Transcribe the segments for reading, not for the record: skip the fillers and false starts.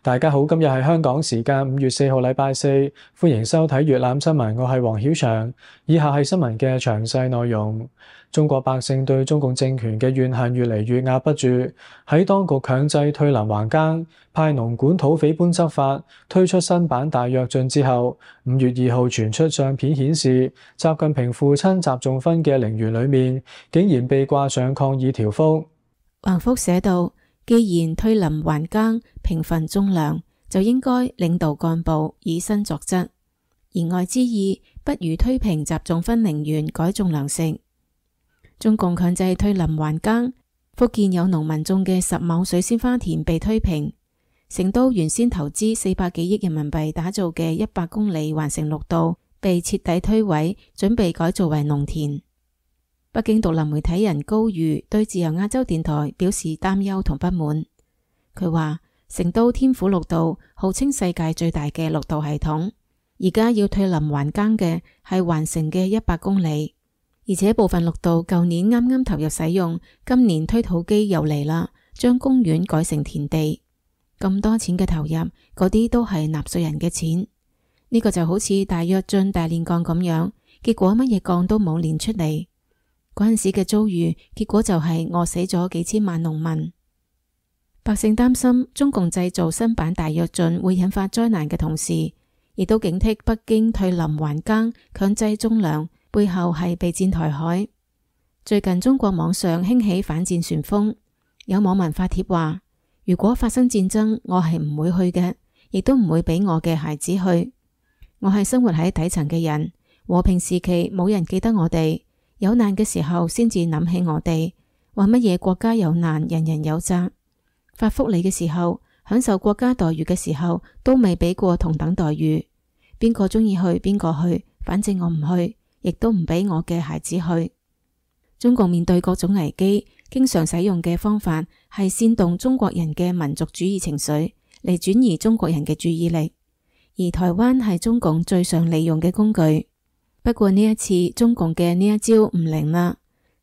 大家好，今日係香港時間5月4號禮拜四，歡迎收睇粵覽新聞，我係黃曉翔。以下係新聞嘅詳細內容。中國百姓對中共政權嘅怨恨越嚟越壓不住，喺當局強制退林還耕、派農管土匪般執法、推出新版大躍進之後，5月2號傳出相片顯示，習近平父親習仲勳嘅陵園裏面竟然被掛上抗議條幅。橫幅寫道：既然退林還耕、平分種糧，就應該領導幹部以身作則，言外之意不如推平習仲勳陵園改種糧食。中共強制退林還耕，福建有農民種嘅10畝水仙花田被推平，成都原先投資400幾億人民幣打造嘅100公里環城綠道被徹底推毀，準備改造為農田。北京獨立媒體人高瑜對自由亞洲電台表示擔憂同不滿。佢話成都天府綠道號稱世界最大嘅綠道系統，而家要退林還耕嘅係環城嘅100公里，而且部分綠道舊年啱啱投入使用，今年推土機又嚟啦，將公園改成田地。咁多錢嘅投入，嗰啲都係納稅人嘅錢。呢個就好似大躍進大煉鋼咁樣，結果乜嘢鋼都冇煉出嚟。嗰陣時嘅遭遇，結果就係餓死咗幾千萬農民。百姓擔心中共製造新版大躍進會引發災難嘅同時，亦都警惕北京退林還耕、強制種糧背後係備戰台海。最近中國網上興起反戰旋風，有網民發帖話：如果發生戰爭，我係唔會去嘅，亦都唔會俾我嘅孩子去。我係生活喺底層嘅人，和平時期冇人記得我哋，有難嘅時候先至諗起我哋，話乜嘢國家有難人人有責，發福利嘅時候，享受國家待遇嘅時候都未俾過同等待遇。邊個鍾意去邊個去，反正我唔去，亦都唔俾我嘅孩子去。中共面對各種危機，經常使用嘅方法係煽動中國人嘅民族主義情緒，嚟轉移中國人嘅注意力。而台灣係中共最常利用嘅工具。不過呢一次中共嘅呢一招唔靈啦。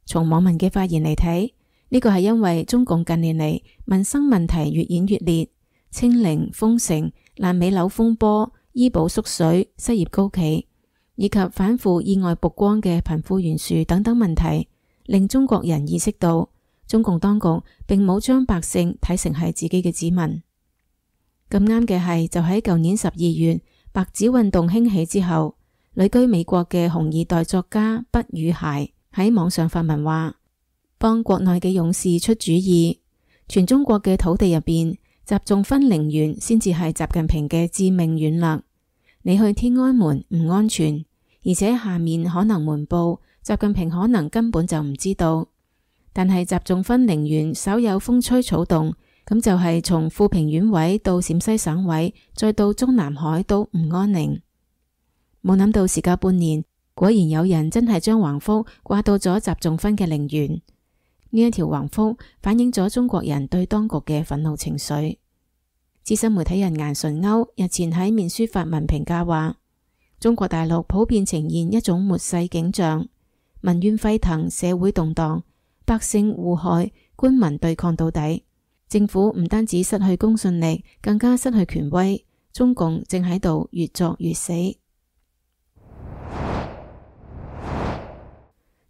從網民嘅發言嚟睇，呢個係因為中共近年嚟民生問題越演越烈，清零、封城、爛尾樓風波、醫保縮水、失業高企，以及反腐意外曝光嘅貧富懸殊等等問題，令中國人意識到中共當局並冇將百姓睇成係自己嘅子民。咁啱嘅係，就喺舊年12月白紙運動興起之後，旅居美國嘅紅二代作家畢宇諧喺網上發文話，幫國內嘅勇士出主意，全中國嘅土地入邊，習仲勳陵園先至係習近平嘅致命軟肋。你去天安門唔安全，而且下面可能瞞報，習近平可能根本就唔知道。但係習仲勳陵園稍有風吹草動，咁就係從富平縣委到陝西省委，再到中南海都唔安寧。冇諗到時隔半年，果然有人真係將橫幅掛到咗習仲勳嘅陵園。呢一條橫幅反映咗中國人對當局嘅憤怒情緒。資深媒體人顏純歐日前喺面書發文評價話，中國大陸普遍呈現一種末世景象，民怨沸騰，社會動盪，百姓互害，官民對抗到底。政府唔單止失去公信力，更加失去權威。中共正喺度越作越死。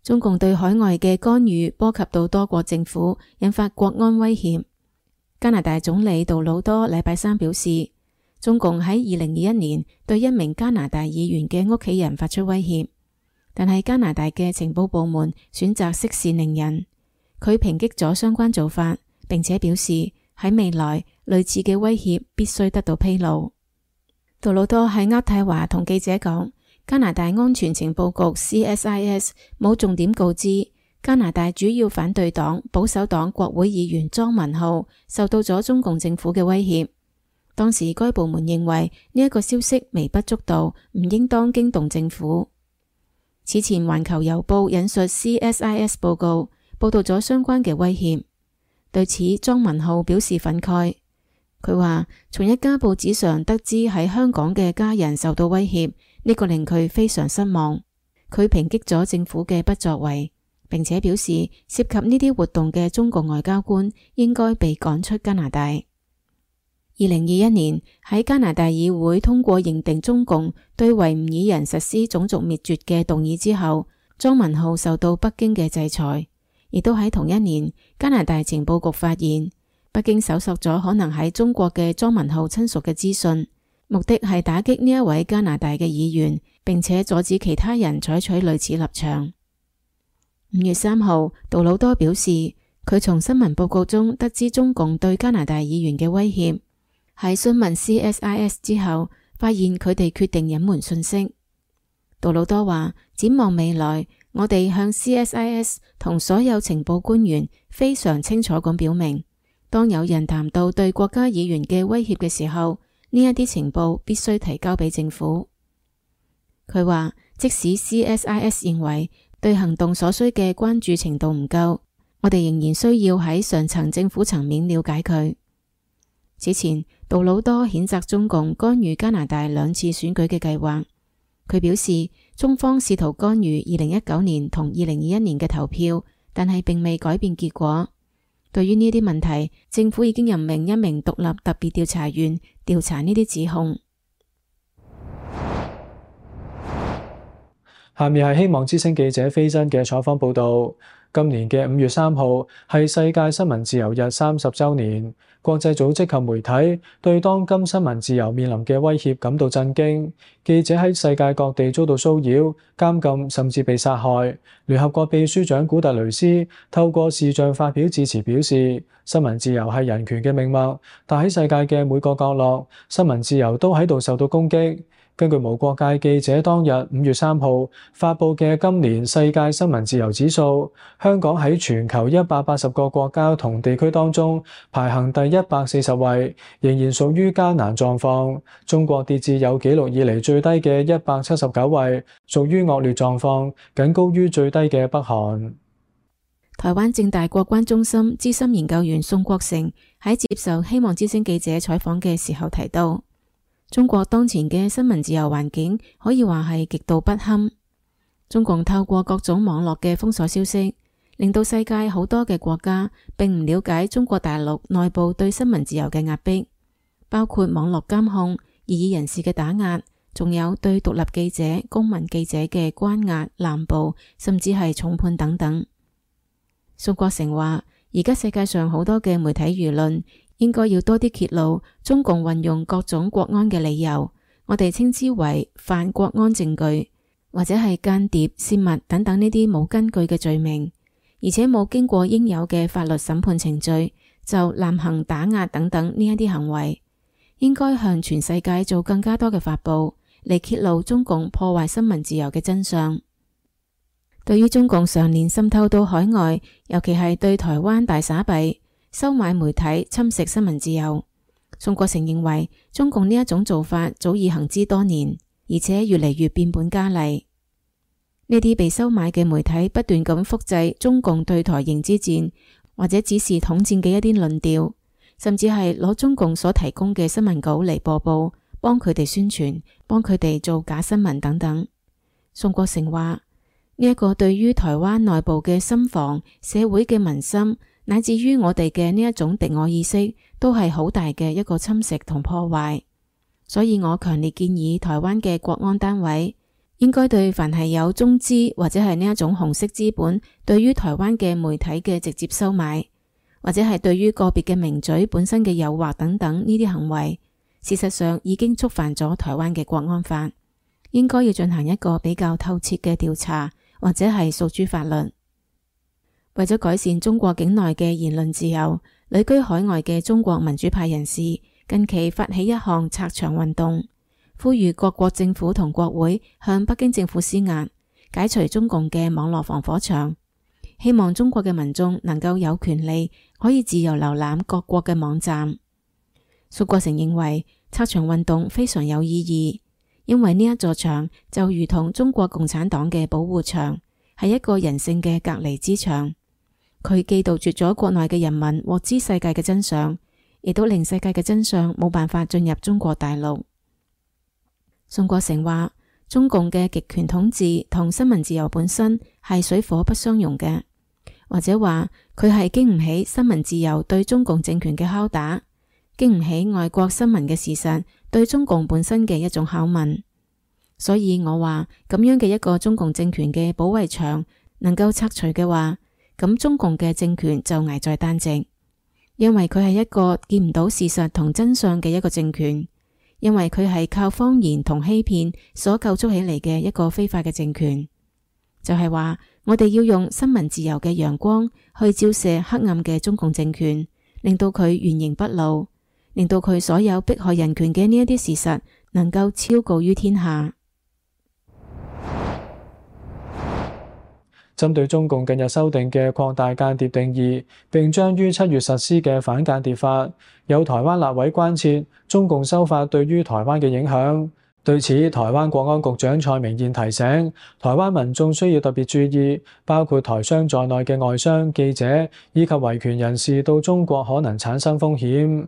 中共對海外嘅干預波及到多國政府，引發國安威脅。加拿大總理杜魯多禮拜三表示，中共喺2021年對一名加拿大議員嘅屋企人發出威脅，但係加拿大嘅情報部門選擇息事寧人。佢抨擊咗相關做法，並且表示喺未來類似嘅威脅必須得到披露。杜魯多喺渥太華同記者講，加拿大安全情報局 CSIS 冇重點告知加拿大主要反對黨保守黨國會議員莊文浩受到咗中共政府嘅威脅。當時該部門認為呢一個消息微不足道，唔應當驚動政府。此前環球郵報引述 CSIS 報告，報道咗相關嘅威脅。對此莊文浩表示憤慨。佢話從一家報紙上得知喺香港嘅家人受到威脅，呢個令佢非常失望。佢抨擊咗政府嘅不作為，並且表示涉及呢啲活動嘅中共外交官應該被趕出加拿大。2021年喺加拿大議會通過認定中共對維吾爾人實施種族滅絕嘅動議之後，莊文浩受到北京嘅制裁。亦都喺同一年，加拿大情報局發現北京搜索咗可能喺中國嘅莊文浩親屬嘅資訊，目的係打擊呢一位加拿大嘅議員，並且阻止其他人採取類似立場。5月3號，杜魯多表示，佢從新聞報告中得知中共對加拿大議員嘅威脅。喺詢問 CSIS 之後，發現佢哋決定隱瞞信息。杜魯多話，展望未來，我哋向 CSIS 同所有情報官員非常清楚咁表明，當有人談到對國家議員嘅威脅嘅時候，呢一啲情報必須提交俾政府。佢話，即使 CSIS 認為對行動所需嘅關注程度唔夠，我哋仍然需要喺上層政府層面了解佢。此前，杜魯多譴責中共干預加拿大2次選舉嘅計劃。佢表示，中方試圖干預2019年同2021年嘅投票，但係並未改變結果。對於呢啲問題，政府已經任命一名獨立特別調查員調查呢啲指控。下面係希望之聲記者飛真嘅採訪報導。今年嘅5月3號係世界新聞自由日30週年，國際組織及媒體對當今新聞自由面臨嘅威脅感到震驚。記者喺世界各地遭到騷擾、監禁，甚至被殺害。聯合國秘書長古特雷斯透過視像發表致辭，表示新聞自由係人權嘅命脈，但喺世界嘅每個角落，新聞自由都喺度受到攻擊。根據無國界記者當日5月3號發佈嘅今年世界新聞自由指數，香港喺全球180個國家同地區當中排行第140位，仍然屬於艱難狀況。中國跌至有紀錄以嚟最低嘅179位，屬於惡劣狀況，僅高於最低嘅北韓。台灣政大國關中心資深研究員宋國成喺接受希望之聲記者採訪嘅時候提到，中國當前嘅新聞自由環境可以話係極度不堪。中共透過各種網絡嘅封鎖消息，令到世界好多嘅國家並唔了解中國大陸內部對新聞自由嘅壓迫，包括網絡監控、異議人士嘅打壓，仲有對獨立記者、公民記者嘅關押、濫捕，甚至係重判等等。宋國成話，而家世界上好多嘅媒體輿論應該要多啲揭露中共運用各種國安嘅理由，我哋稱之為犯國安證據，或者係間諜、泄密等等呢啲冇根據嘅罪名，而且冇經過應有嘅法律審判程序就濫行打壓等等呢一啲行為，應該向全世界做更加多嘅發布，嚟揭露中共破壞新聞自由嘅真相。對於中共常年滲透到海外，尤其係對台灣大撒幣、收買媒體、侵蝕新聞自由，宋國成認為中共呢一種做法早已行之多年，而且越嚟越變本加厲。呢啲被收買嘅媒體不斷咁複製中共對台認知戰或者指示統戰嘅一啲論調，甚至係攞中共所提供嘅新聞稿嚟播報，幫佢哋宣傳，幫佢哋做假新聞等等。宋國成話，呢一個對於台灣內部嘅心防、社會嘅民心，乃至於我哋嘅呢一種敵我意識，都係好大嘅一個侵蝕同破壞。所以我強烈建議台灣嘅國安單位應該對凡係有中資或者係呢一種紅色資本對於台灣嘅媒體嘅直接收買，或者係對於個別嘅名嘴本身嘅誘惑等等呢啲行為，事實上已經觸犯咗台灣嘅國安法，應該要進行一個比較透徹嘅調查，或者係訴諸法律。為咗改善中國境內嘅言論自由，旅居海外嘅中國民主派人士近期發起一項拆牆運動，呼籲各國政府同國會向北京政府施壓，解除中共嘅網絡防火牆，希望中國嘅民眾能夠有權利可以自由瀏覽各國嘅網站。宋國成認為拆牆運動非常有意義，因為呢一座牆就如同中國共產黨嘅保護牆，係一個人性嘅隔離之牆。佢既杜絕咗國內嘅人民獲知世界嘅真相，亦都令世界嘅真相冇辦法進入中國大陸。宋國成話，中共嘅極權統治同新聞自由本身係水火不相容嘅，或者話佢係經唔起新聞自由對中共政權嘅拷打，經唔起外國新聞嘅事實對中共本身嘅一種拷問。所以我話咁樣嘅一個中共政權嘅保衛牆能夠拆除嘅話，咁中共嘅政權就危在旦夕，因為佢係一個見唔到事實同真相嘅一個政權，因為佢係靠謊言同欺騙所構築起嚟嘅一個非法嘅政權。就係話我哋要用新聞自由嘅陽光去照射黑暗嘅中共政權，令到佢原形畢露，令到佢所有迫害人權嘅呢一啲事實能夠昭告於天下。針對中共近日修訂嘅擴大間諜定義，並將於7月實施嘅反間諜法，有台灣立委關切中共修法對於台灣嘅影響。對此，台灣國安局長蔡明彥提醒，台灣民眾需要特別注意，包括台商在內嘅外商、記者以及維權人士到中國可能產生風險。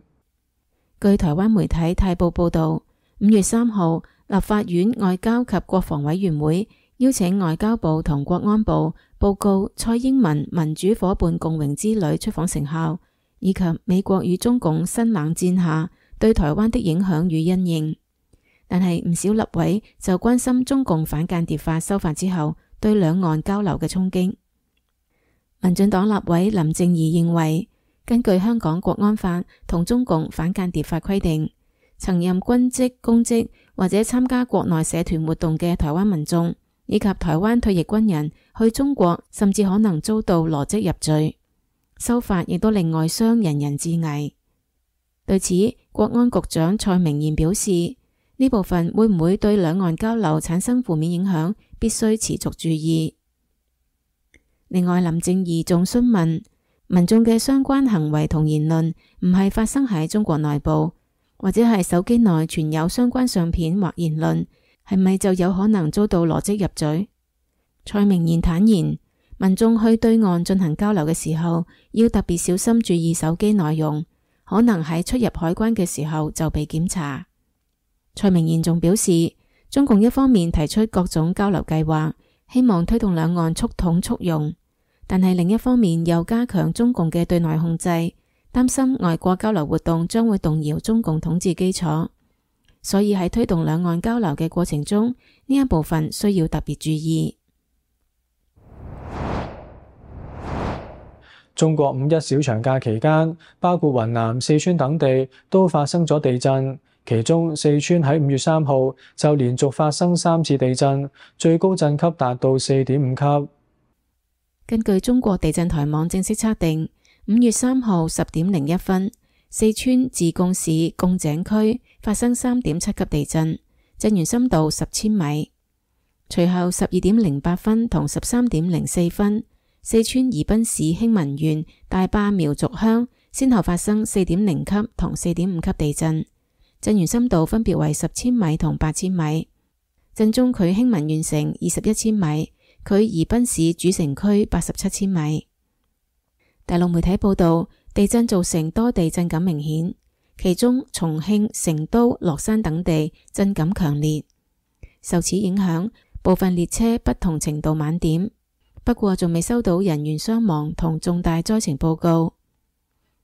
據台灣媒體泰報報導，5月3號，立法院外交及國防委員會邀請外交部同國安部報告蔡英文民主夥伴共榮之旅出訪成效，以及美國與中共新冷戰下對台灣的影響與因應。但係唔少立委就關心中共反間諜法修法之後對兩岸交流嘅衝擊。民進黨立委林靜儀認為，根據香港國安法同中共反間諜法規定，曾任軍職、公職或者參加國內社團活動嘅台灣民眾以及台灣退役軍人去中國，甚至可能遭到羅織入罪。修法亦都令外商人人自危。對此，國安局長蔡明彥表示，呢部分會唔會對兩岸交流產生負面影響，必須持續注意。另外，林靜儀仲詢問，民眾嘅相關行為同言論唔係發生喺中國內部，或者係手機內存有相關相片或言論，係咪就有可能遭到羅織入罪？蔡明彥坦言，民眾去對岸進行交流嘅時候，要特別小心注意手機內容，可能喺出入海關嘅時候就被檢查。蔡明彥仲表示，中共一方面提出各種交流計劃，希望推動兩岸促統促融，但係另一方面又加強中共嘅對內控制，擔心外國交流活動將會動搖中共統治基礎。所以喺推動兩岸交流嘅過程中，呢一部分需要特別注意。中國五一小長假期間，包括雲南、四川等地都發生咗地震，其中四川喺5月3號就連續發生3次地震，最高震級達到4.5級。根據中國地震台網正式測定，5月3號10點01分，四川自貢市貢井區發生3.7級地震，震源深度10千米。隨後12點08分同13點04分，四川宜賓市興文縣大壩苗族鄉先後發生4.0級同4.5級地震，震源深度分別為10千米同8千米。震中距興文縣城21千米，距宜賓市主城區87千米。大陸媒體報道，地震造成多地震感明顯，其中重慶、成都、樂山等地震感強烈。受此影響，部分列車不同程度晚點，不過仲未收到人員傷亡同重大災情報告。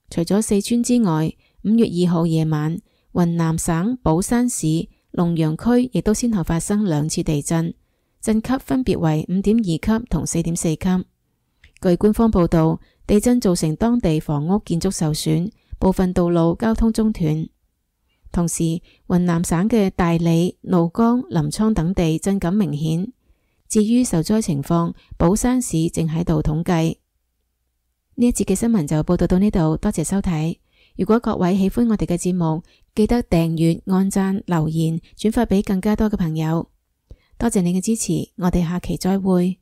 除咗四川之外，5月2號夜晚，雲南省保山市龍陽區亦都先後發生2次地震，震級分別為5.2級同4.4級。據官方報道，地震造成當地房屋建築受損，部分道路交通中斷。同時，雲南省嘅大理、怒江、臨滄等地震感明顯。至於受災情況，保山市正喺度統計。呢一節嘅新聞就報道到呢度，多謝收睇。如果各位喜歡我哋嘅節目，記得訂閱、按讚、留言、轉發俾更加多嘅朋友。多謝你嘅支持，我哋下期再會。